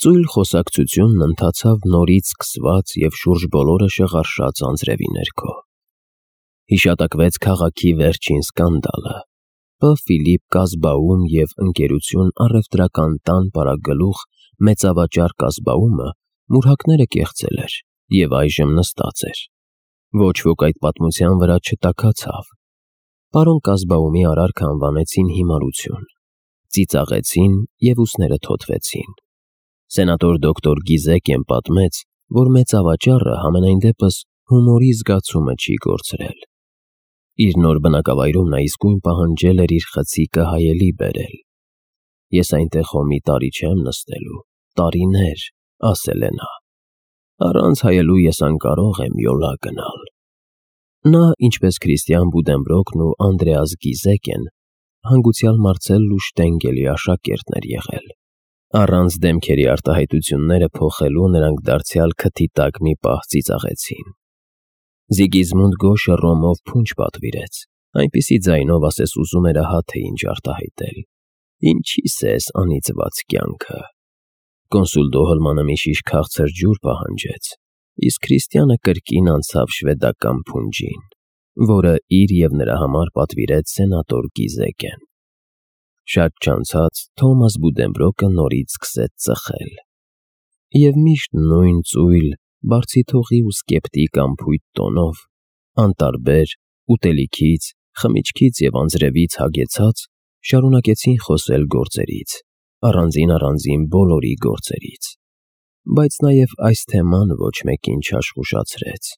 Ծույլ խոսակցությունն ընթացավ նորից սկսված և շուրջ բոլորը շղարշաց անձրևի ներքո։ Հիշատակվեց քաղաքի վերջին սկանդալը։ Բ. Ֆիլիպ Կազբաում և ընկերություն առևտրական տան պարագլուխ մեծավաճառ Կազբաումը մուրհակները կեղծել էր և այժմ նստած էր։ Ոչ ոք այդ պատմության վրա չտաքացավ։ Պարոն Կազբաումի արարքը անվանեցին հիմարություն, ծիծաղեցին և ուսները թոթվեցին։ Սենատոր դոկտոր Գիզեկեն պատմեց, որ մեծավաճառը համենայն դեպս հումորի զգացումը չի կորցրել։ Իր նոր բնակավայրում նա իսկույն պահանջել էր իր խցիկը հայելի բերել։ «Ես այնտեղ հո մի տարի չեմ նստելու, տարիներ», ասել է նա։ «Առանց հայելու ես անկարող եմ յոլա գնալ»։ Նա, ինչպես Քրիստիան Բուդենբրոկն ու Անդրեաս Գիզեկեն, հանգուցյալ Մարցել ու Շտենգելի աշակերտն էր եղել։ Առանց դեմքերի արտահայտությունները փոխելու նրանք դարձյալ քթի տակ մի պահ ծիծաղեցին։ Զիգիզմունդ Գոշը ռոմով փունջ պատվիրեց, այնպիսի ձայնով ասես ուզում էր ահա թե ինչ արտահայտել. «Ինչի՞ս է էս անիծված կյանքը»։ Կոնսուլ Դոհլմանը մի շիշ քաղցր ջուր պահանջեց, իսկ Քրիստիանը կրկին անցավ շվեդական փունջին, որը իր և նրա համար պատվիրեց սենատոր Գիզեկեն։ Շատ չանցած Թոմաս Բուդենբրոկը նորից սկսեց ծխել։ Եվ միշտ նույն ծույլ, բարձիթողի ու սկեպտիկ անփույթ տոնով, անտարբեր, ուտելիքից, խմիչքից և անձրևից հագեցած, շարունակեցին խոսել գործերից, առանձին բոլորի գործերից։ Բայց նաև այս թեման ոչ մեկին չաշխուշացրեց։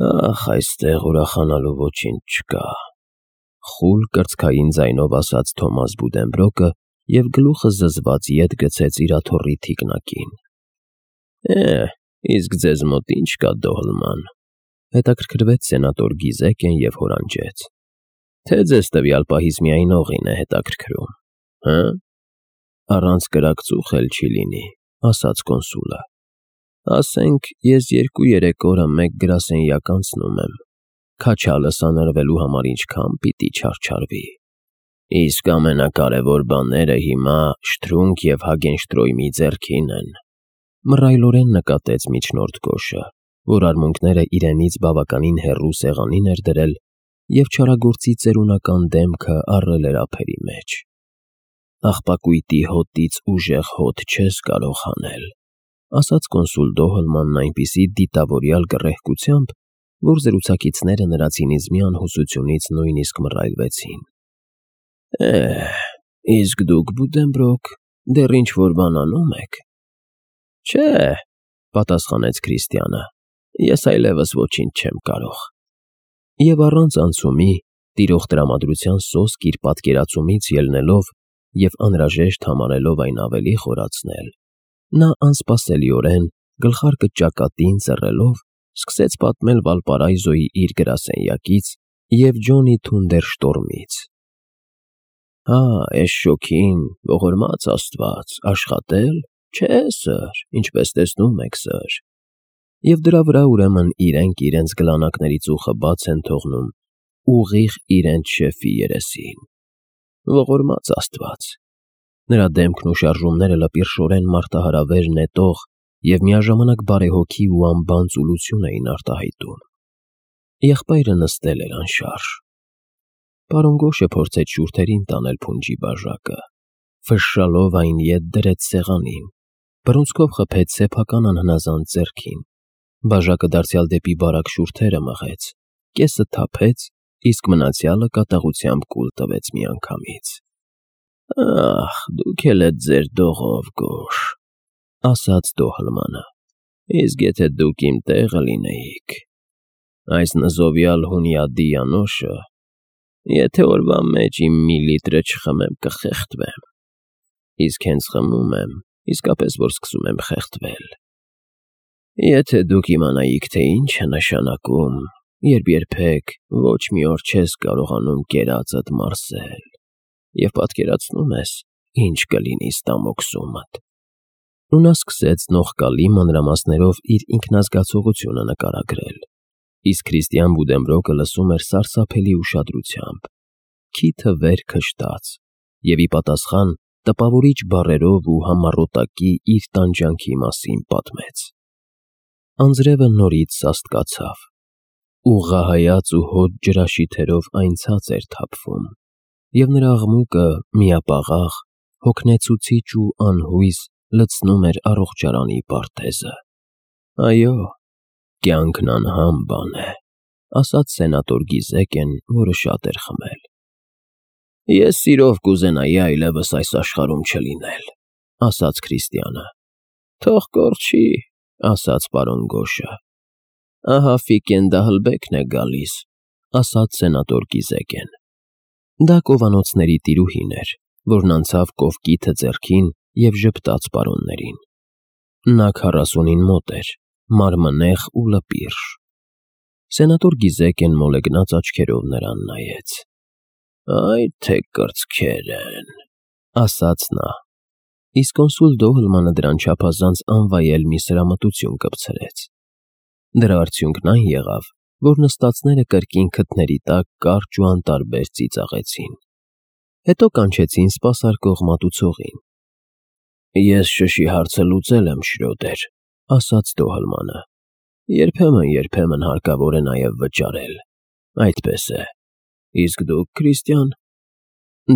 «Ախ, այստեղ ուրախանալու ոչինչ չկա», խուլ կրծքային ձայնով ասաց Թոմաս Բուդենբրոկը և գլուխը զզված ետ գցեց իր աթոռի թիկնակին։ Իսկ ձեզ մոտ ի՞նչ կա, Դոհլման», հետաքրքրվեց սենատոր Գիզեկեն և հորանջեց։ «Թե ձեզ տվյալ պահից միայն օղին է հետաքրքրում, հը»։ «Առանց կրակցուխ էլ չի լինի», ասաց կոնսուլը։ «Ասենք, ես 2-3 օրը մեկ գրասենյակ անցնում եմ, քաչալը սանրվելու համար ինչքան պիտի չարչարվի։ Իսկ ամենակարևոր բաները հիմա Շտրունգ և Հագենշտրոյմի ձեռքին են», մռայլորեն նկատեց միջնորդ Գոշը, որ արմունկները իրենից բավականին հեռու սեղանին էր դրել և չարագործի ծերունական դեմքը առել էր ափերի մեջ։ «Աղբակույտի հոտից ուժեղ հոտ չես կարող հանել», ասաց կոնսուլ Դոհլմանն այնպիսի դիտավորյալ գռեհկությամբ, որ զրուցակիցները նրա ցինիզմի անհուսությունից նույնիսկ մռայլվեցին։ Իսկ դուք, Բուդենբրոկ, դեռ ինչ-որ բան անում եք»։ «Չէ», պատասխանեց Քրիստիանը, «ես այլևս ոչինչ չեմ կարող»։ Եվ առանց անցումի, տիրող տրամադրության սոսկ իր պատկերացումից ելնելով և անհրաժեշտ համարելով այն ավելի խորացնել, նա անսպասելիորեն, գլխարկը ճակատին ծռելով, սկսեց պատմել Վալպարայզոյի իր գրասենյակից և Ջոնի Թունդերշտորմից։ Էս շոգին, ողորմած Աստված, աշխատել։ Չէ, սըր, ինչպես տեսնում եք, սըր։ Եվ դրա վրա ուրեմն իրենք իրենց գլանակների ծուխը բաց են թողնում ուղիղ իրենց շեֆի երեսին։ Ողորմած Աստված։ Նրա դեմքն ու շարժումները լպիրշորեն մարտահրավեր նետող և միաժամանակ բարեհոգի ու անբան ծուլություն էին արտահայտում։ Եղբայրը նստել էր անշարժ։ Պարոն Գոշը փորձեց շուրթերին տանել փունջի բաժակը, ֆշշալով այն ետ դրեց սեղանին, բռունցքով խփեց սեփական անհնազանդ ձեռքին, բաժակը դարձյալ դեպի բարակ շուրթերը մղեց, կեսը թափեց, իսկ մնացյալը կատաղությամբ կուլ տվեց միանգամից։ «Ախ, դուք էլ էդ ձեր դողով, Գոշ», ասաց Դոհլմանը, «իսկ եթե դուք իմ տեղը լինեիք, այս նզովյալ Հունյադի անոշը, եթե օրվա մեջ իմ մի լիտրը չխմեմ, կխեղդվեմ, իսկ հենց խմում եմ, իսկապես որ սկսում եմ խեղդվել։ Եթե դուք իմանայիք, թե ինչ է նշանակում, երբ երբեք ոչ մի օր չես կարողանում կերածդ մարսել և պատկերացնում ես, ինչ կլինի ստամոքսումդ»։ Ու նա սկսեց նողկալի մանրամասներով իր ինքնազգացողությունը նկարագրել, իսկ Քրիստիան Բուդենբրոկը լսում էր սարսափելի ուշադրությամբ, քիթը վեր քշտաց, և ի պատասխան տպավորիչ բառերով ու համառոտակի իր տանջանքի մասին պատմեց։ Անձրևը նորից սաստկացավ, ուղղահայաց ու հոտ ջրաշիթերով այն ցած էր թափվում, և նրա աղմուկը միապաղաղ, հոգնեցուցիչ ու անհույս լցնում էր առողջարանի պարտեզը։ «Այո, կյանքն անհամ բան է», ասաց սենատոր Գիզեկեն, որը շատ էր խմել։ «Ես սիրով կուզենայի այլևս այս աշխարհում չլինել», ասաց Քրիստիանը։ «Թող կորչի», ասաց պարոն Գոշը։ «Ահա Ֆիկեն Դահլբեքն է գալիս», ասաց սենատոր Գիզեկեն։ Դա կովանոցների տիրուհին էր, որն անցավ կովկիթը ձեռքին և ժպտաց պարոններին։ Նա 40-ին մոտ էր, մարմնեղ ու լպիրշ։ Սենատոր Գիզեկեն մոլեգնած աչքերով նրան նայեց։ «Այ թե կրծքեր են», ասաց նա, իսկ կոնսուլ Դոհլմանը դրան չափազանց անվայել մի սրամտություն կպցրեց։ Դրա արդյունքն այն եղավ, որ նստածները կրկին քթների տակ կարճ ու անտարբեր ծիծաղեցին։ Հետո կանչեցին սպասարկող մատուցողին։ «Ես շշի հարցը լուծել եմ, Շրյոդեր», ասաց Դոհլմանը։ «Երբեմն հարկավոր է նաև վճարել։ Այդպես է։ Իսկ դուք, Քրիստիան»։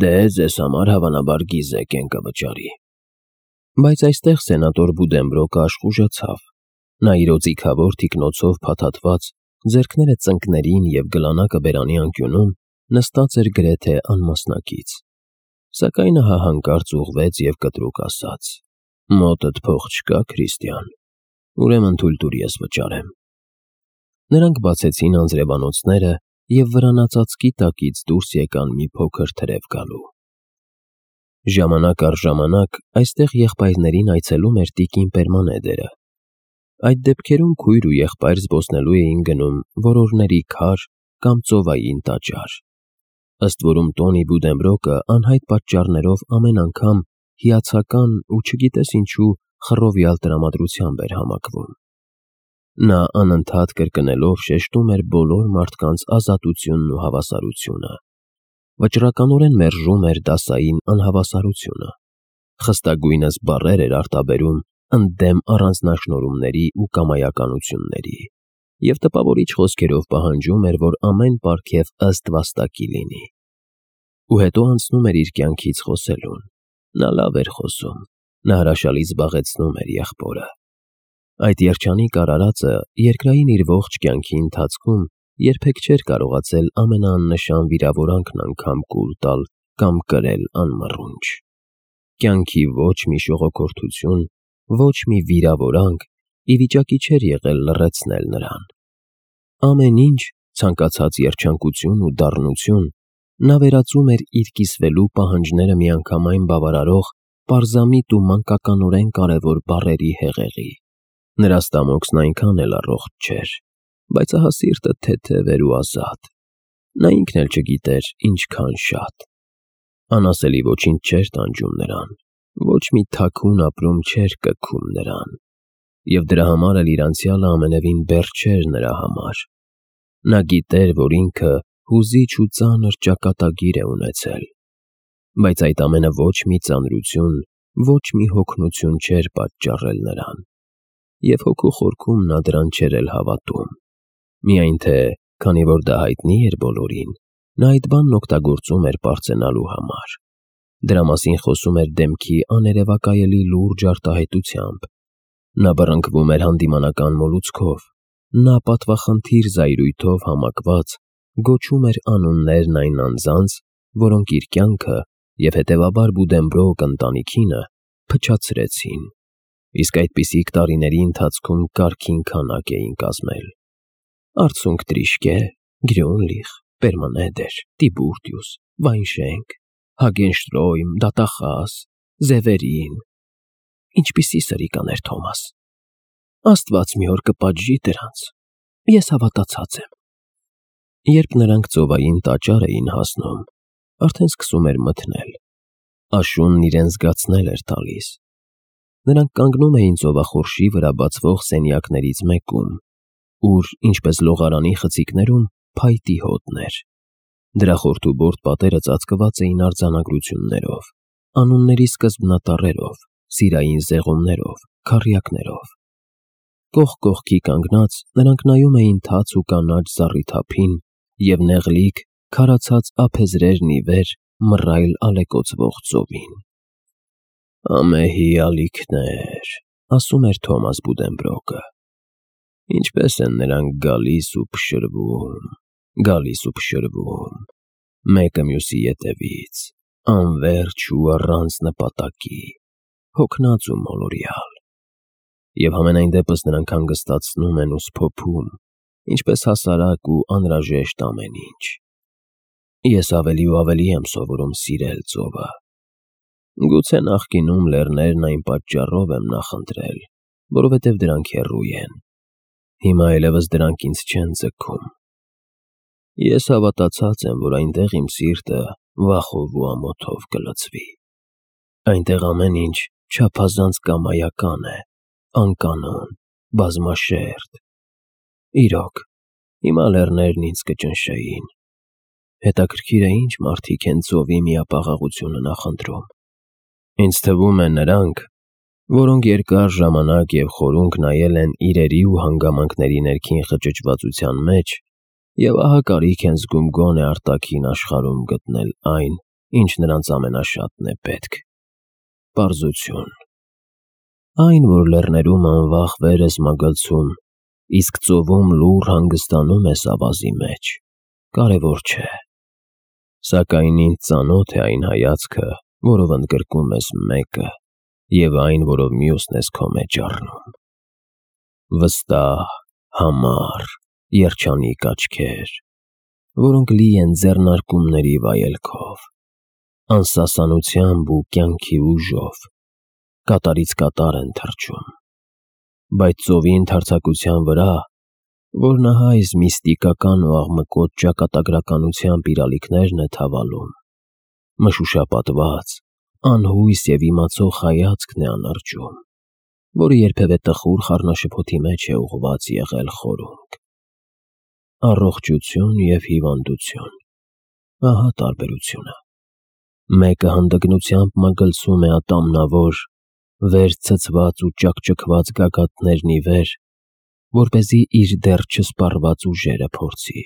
«Դե, ձեզ համար հավանաբար Գիզեկեն կվճարի»։ Բայց այստեղ սենատոր Բուդենբրոկը աշխուժացավ։ Նա իր օձիքավոր թիկնոցով փաթաթված, ձեռքները ծնկներին և գլանակը բերանի անկյունում նստած էր գրեթե անմասնակից։ Սակայն ահա հանկարծ ուղղվեց և կտրուկ ասաց. «Մոտդ փող չկա, Քրիստիան, ուրեմն թույլ տուր ես վճարեմ»։ Նրանք բացեցին անձրևանոցները և վրանածածկի տակից դուրս եկան մի փոքր թրև գալու։ Ժամանակ առ ժամանակ այստեղ եղբայրներին այցելում էր տիկին Պերմանեդերը։ Այդ դեպքերում քույր ու եղբայր զբոսնելու էին գնում որորների քար կամ ծովային տաճար։ Ըստ որում Տոնի Բուդենբրոկը անհայտ պատճառներով ամեն անգամ հիացական ու չգիտես ինչու խռովյալ տրամադրությամբ էր համակվում։ Նա անընդհատ կրկնելով շեշտում էր բոլոր մարդկանց ազատությունն ու հավասարությունը։ Վճռականորեն մերժում էր դասային անհավասարությունը։ Խստագույնս բառեր էր արտաբերում ընդդեմ առանձնաշնորհումների ու կամայականությունների և տպավորիչ խոսքերով պահանջում էր, որ ամեն պարգև ըստ վաստակի լինի։ Ու հետո անցնում էր իր կյանքից խոսելուն։ Նա լավ էր խոսում, նա հրաշալի զբաղեցնում էր եղբորը։ Այդ երջանիկ արարածը երկրային իր ողջ կյանքի ընթացքում երբեք չէր կարողացել ամենաաննշան վիրավորանքն անգամ կուլ տալ կամ կրել անմռունչ։ Կյանքի ոչ մի շողոքորթություն, ոչ մի վիրավորանք ի վիճակի չէր եղել լռեցնել նրան։ Ամեն ինչ, ցանկացած երջանկություն ու դառնություն, նա վերածում էր իր կիսվելու պահանջները միանգամայն բավարարող պարզամիտ ու մանկականորեն կարևոր բառերի հեղեղի։ Նրա ստամոքսն այնքան էլ առողջ չէր, բայց ահա սիրտը թեթև էր ու ազատ։ Նա ինքն էլ չգիտեր ինչքան շատ։ Անասելի ոչինչ չէր տանջում նրան, ոչ մի թաքուն ապրում չէր կգում նրան, և դրա համար էլ իր անցյալը ամենևին բեռ չէր նրա համար։ Նա գիտեր, որ ինքը հուզիչ ու ծանր ճակատագիր է ունեցել, բայց այդ ամենը ոչ մի ծանրություն, ոչ մի հոգնություն չէր պատճառել նրան, և հոգու խորքում նա դրան չէր էլ հավատում։ Միայն թե, քանի որ դա հայտնի էր բոլորին, նա այդ բանն օգտագործում էր պարծենալու համար։ Դրա մասին խոսում էր դեմքի աներևակայելի լուրջ արտահայտությամբ։ Նա բռնկվում էր հանդիմանական մոլուցքով։ Նա պատվախնդիր զայրույթով համակված գոչում էր անուններն այն անձանց, որոնք իր կյանքը և հետևաբար Բուդենբրոկ ընտանիքինը փչացրեցին, իսկ այդպիսիք տարիների ընթացքում կարգին քանակ էին կազմել. Արցունք Տրիշկե, Գրյունլիխ, Պերմանեդեր, Տիբուրտիուս, Վայնշենկ, Հագենշտրոյմ, Դատախազ, Զևերին։ Ինչպիսի սրիկաներ, Թոմաս։ Աստված մի օր կպատժի դրանց։ Ես հավատացած եմ։ Երբ նրանք ծովային տաճար էին հասնում, արդեն սկսում էր մթնել։ Աշունն իրեն զգացնել էր տալիս։ Նրանք կանգնում էին ծովախորշի վրա բացվող սենյակներից մեկում, ուր, ինչպես լողարանի խցիկներում, փայտի հոտն էր։ Դրա խորթուբորդ պատերը ծածկված էին արձանագրություններով, անունների սկզբնատառերով, սիրային զեղումներով, քառյակներով։ Կողք կողքի կանգնած նրանք նայում էին թաց ու կանաչ զառիթափին և նեղլիկ, քարացած ափեզրերն ի վեր մռայլ ալեկոծվող ծովին։ «Ամեհի ալիքներ», ասում էր Թոմաս Բուդենբրոկը։ «Ինչպես են նրանք գալիս ու փշրվում, մեկը մյուսի ետևից, անվերջ ու առանց նպատակի, հոգնած ու մոլորյալ։ Եվ համենայն դեպս նրանք հանգստացնում են ու սփոփում, ինչպես հասարակ ու անհրաժեշտ ամեն ինչ։ Ես ավելի ու ավելի եմ սովորում սիրել ծովը։ Գուցե նախկինում լեռներն այն պատճառով եմ նախընտրել, որովհետև դրանք հեռու են։ Հիմա այլևս դրանք ինձ չեն ձգում։ Ես հավատացած եմ, որ այնտեղ իմ սիրտը վախով ու ամոթով կլցվի։ Այնտեղ ամեն ինչ չափազանց կամայական է, անկանոն, բազմաշերտ։ Իրոք, հիմա լեռներն ինձ կճնշեին։ Հետաքրքիր է ինչ մարդիկ են ծովի միապաղաղությունը նախընտրում։ Ինձ թվում է նրանք, որոնք երկար ժամանակ և խորունկ նայել են իրերի ու հանգամանքների ներքին խճճվածության մեջ և ահա կարիք են զգում գոնե արտաքին աշխարհում գտնել այն, ինչ նրանց ամենաշատն է պետք։ Պարզություն։ Այն, որ լեռներում անվախ վեր ես մագլցում, իսկ ծովում լուռ հանգստանում ես ավազի մեջ, կարևոր չէ։ Սակայն ինձ ծանոթ է այն հայացքը, որով ընդգրկում ես մեկը, և այն, որով մյուսն ես քո մեջ առնում։ Վստահ, համառ, երջանիկ աչքեր, որոնք լի են ձեռնարկումների վայելքով, անսասանությամբ ու կյանքի ուժով, կատարից կատար են թռչում։ Բայց ծովի ընդարձակության վրա, որն ահա այս միստիկական ու աղմկոտ ճակատագրականությամբ իր ալիքներն է թավալում, մշուշապատված, անհույս և իմացող հայացքն է անարջում, որը երբևէ տխուր խառնաշփոթի մեջ է ուղղված եղել խորունկ։ Առողջություն և հիվանդություն, ահա տարբերությունը։ Մեկը հանդգնությամբ մագլցում է ատամնավոր, վեր ցցված ու ճաքճքված գագաթներն ի վեր, որպեսզի իր դեռ չսպառված ուժերը փորձի,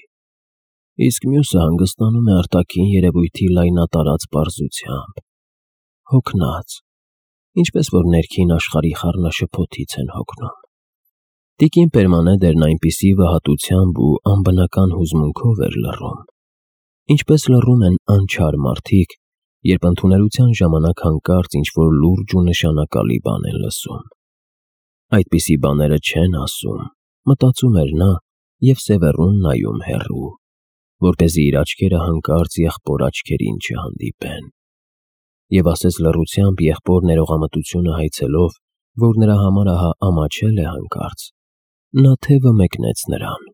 իսկ մյուսը հանգստանում է արտաքին երևույթի լայնատարած պարզությամբ, հոգնած, ինչպես որ ներքին աշխարհի խառնաշփոթից են հոգնում։ Տիկին Պերմանեդերն այնպիսի վհատությամբ ու անբնական հուզմունքով էր լռում, ինչպես լռում են անչար մարդիկ, երբ ընդունելության ժամանակ հանկարծ ինչ-որ լուրջ ու նշանակալի բան են լսում։ Այդպիսի բաները չեն ասում, մտածում էր նա և սևեռուն նայում հեռու, որպեսզի իր աչքերը հանկարծ եղբոր աչքերին չհանդիպեն։ Եվ ասես լռությամբ եղբոր ներողամտությունը հայցելով, որ նրա համար ահա ամաչել է հանկարծ, նա թևը մեկնեց նրան։